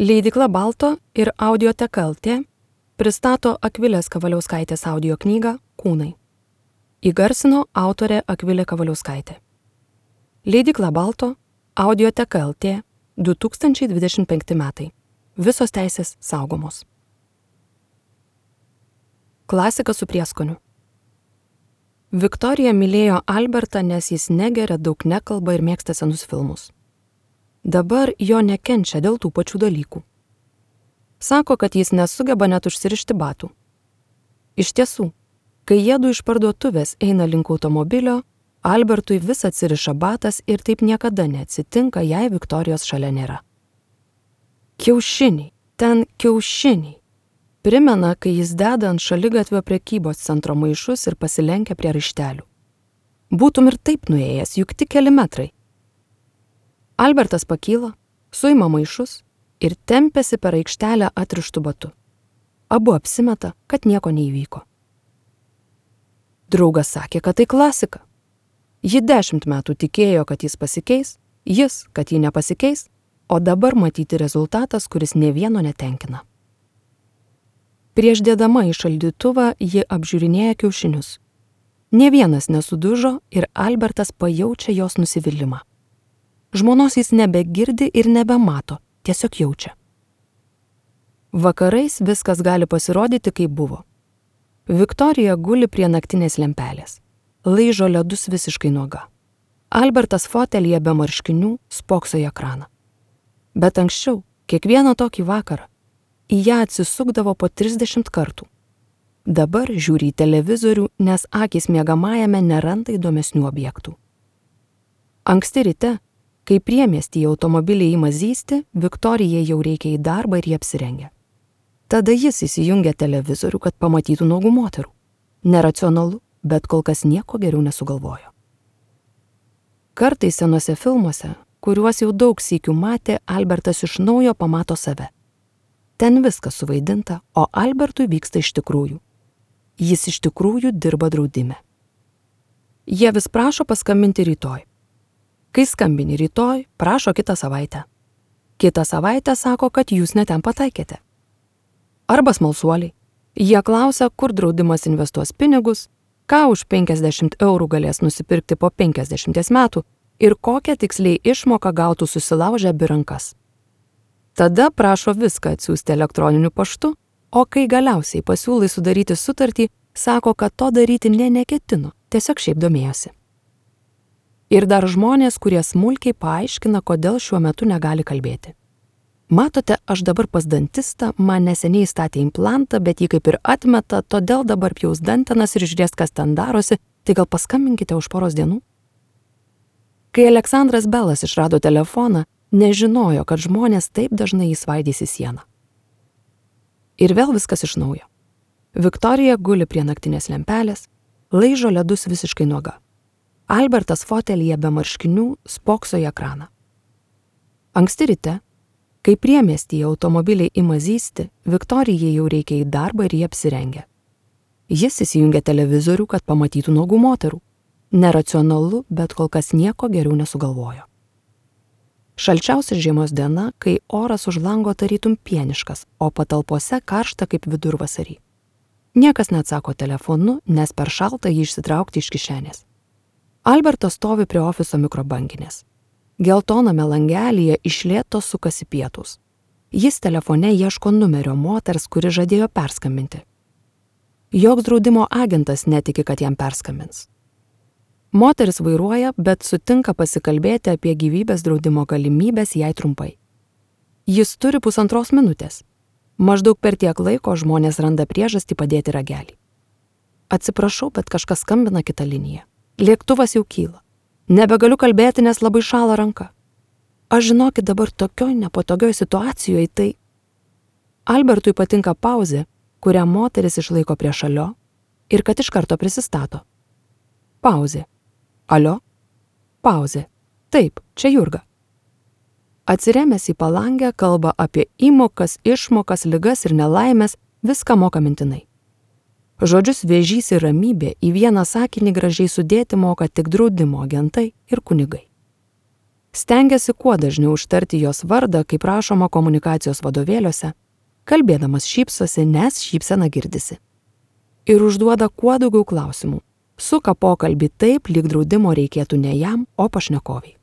Leidykla Balto ir Audioteka LT pristato Akvilės Kavaliauskaitės audio knygą Kūnai. Įgarsino autorė Akvilė Kavaliauskaitė. Leidykla Balto, Audioteka LT, 2025 metai. Visos teisės saugomos. Klasika su prieskoniu. Viktorija mylėjo Albertą, nes jis negeria, daug nekalba ir mėgsta senus filmus. Dabar jo nekenčia dėl tų pačių dalykų. Sako, kad jis nesugeba net užsirišti batų. Iš tiesų, kai jiedu iš parduotuvės eina link automobilio, Albertui vis atsiriša batas ir taip niekada neatsitinka, jei Viktorijos šalia nėra. Kiaušiniai, ten kiaušiniai. Primena, kai jis deda ant šaligatvio prekybos centro maišus ir pasilenkia prie raištelių. Būtum ir taip nuėjęs, juk tik keli metrai. Albertas pakyla, suima maišus ir tempiasi per aikštelę atrištų batu. Abu apsimeta, kad nieko neįvyko. Draugas sakė, kad tai klasika. Ji 10 metų tikėjo, kad jis pasikeis, jis, kad ji nepasikeis, o dabar matyti rezultatas, kuris nė vieno netenkina. Prieš dėdama į šaldytuvą ji apžiūrinėja kiaušinius. Nė vienas nesudužo ir Albertas pajaučia jos nusivylimą. Žmonos jis nebegirdi ir nebemato, tiesiog jaučia. Vakarais viskas gali pasirodyti, kaip buvo. Viktorija guli prie naktinės lempelės. Laižo ledus visiškai nuoga. Albertas fotelyje be marškinių spokso į ekraną. Bet anksčiau, kiekvieną tokį vakarą, į ją atsisukdavo po 30 kartų. Dabar žiūri į televizorių, nes akys miegamajame neranda įdomesnių objektų. Anksti ryte, kai priemiestyje automobiliai ima zysti, Viktorijai jau reikia į darbą ir jie apsirengia. Tada jis įsijungia televizorių, kad pamatytų nuogų moterų. Neracionalu, bet kol kas nieko geriau nesugalvojo. Kartais senuose filmuose, kuriuos jau daug sykių matė, Albertas iš naujo pamato save. Ten viskas suvaidinta, o Albertui vyksta iš tikrųjų. Jis iš tikrųjų dirba draudime. Jie vis prašo paskambinti rytoj. Kai skambini rytoj, prašo kitą savaitę. Kitą savaitę sako, kad jūs ne ten pataikėte. Arba smalsuoliai. Jie klausia, kur draudimas investuos pinigus, ką už 50 eurų galės nusipirkti po 50 metų ir kokią tiksliai išmoką gautų susilaužę abi rankas. Tada prašo viską atsiųsti elektroniniu paštu, o kai galiausiai pasiūlai sudaryti sutartį, sako, kad to daryti neketino, tiesiog šiaip domėjosi. Ir dar žmonės, kurie smulkiai paaiškina, kodėl šiuo metu negali kalbėti. Matote, aš dabar pas dantistą, man neseniai statė implantą, bet jį kaip ir atmeta, todėl dabar pjaus dantenas ir žiūrės, kas ten darosi, tai gal paskambinkite už poros dienų? Kai Aleksandras Belas išrado telefoną, nežinojo, kad žmonės taip dažnai įsvaidys į sieną. Ir vėl viskas iš naujo. Viktorija guli prie naktinės lempelės, laižo ledus visiškai nuoga. Albertas fotelyje be marškinių spokso į ekraną. Anksti ryte, kai priemiestyje automobiliai ima zysti, Viktorijai jau reikia į darbą ir jie apsirengia. Jis įsijungia televizorių, kad pamatytų nuogų moterų. Neracionalu, bet kol kas nieko geriau nesugalvojo. Šalčiausia žiemos diena, kai oras už lango tarytum pieniškas, o patalpose karšta kaip vidurvasarį. Niekas neatsako telefonu, nes per šalta jį išsitraukti iš kišenės. Albertas stovi prie ofiso mikrobanginės. Geltoname langelyje iš lėto sukasi pietūs. Jis telefone ieško numerio moters, kuri žadėjo perskambinti. Joks draudimo agentas netiki, kad jam perskambins. Moteris vairuoja, bet sutinka pasikalbėti apie gyvybės draudimo galimybės jai trumpai. Jis turi 1,5 minutės. Maždaug per tiek laiko žmonės randa priežastį padėti ragelį. Atsiprašau, bet kažkas skambina kitą liniją. Lėktuvas jau kyla. Nebegaliu kalbėti, nes labai šąla ranka. Aš žinokit dabar tokioj nepatogioj situacijoje, tai... Albertui patinka pauzė, kurią moteris išlaiko prie šalio ir kad iš karto prisistato. Pauzė. Alio? Pauzė. Taip, čia Jurga. Atsiremęs į palangę kalba apie įmokas, išmokas, ligas ir nelaimės, viską moka mintinai. Žodžius vėžys ir ramybė į vieną sakinį gražiai sudėti moka tik draudimo agentai ir kunigai. Stengiasi kuo dažniau ištarti jos vardą, kaip rašoma komunikacijos vadovėliuose, kalbėdamas šypsosi, nes šypsena girdisi. Ir užduoda kuo daugiau klausimų. Suka pokalbį taip, lyg draudimo reikėtų ne jam, o pašnekoviai.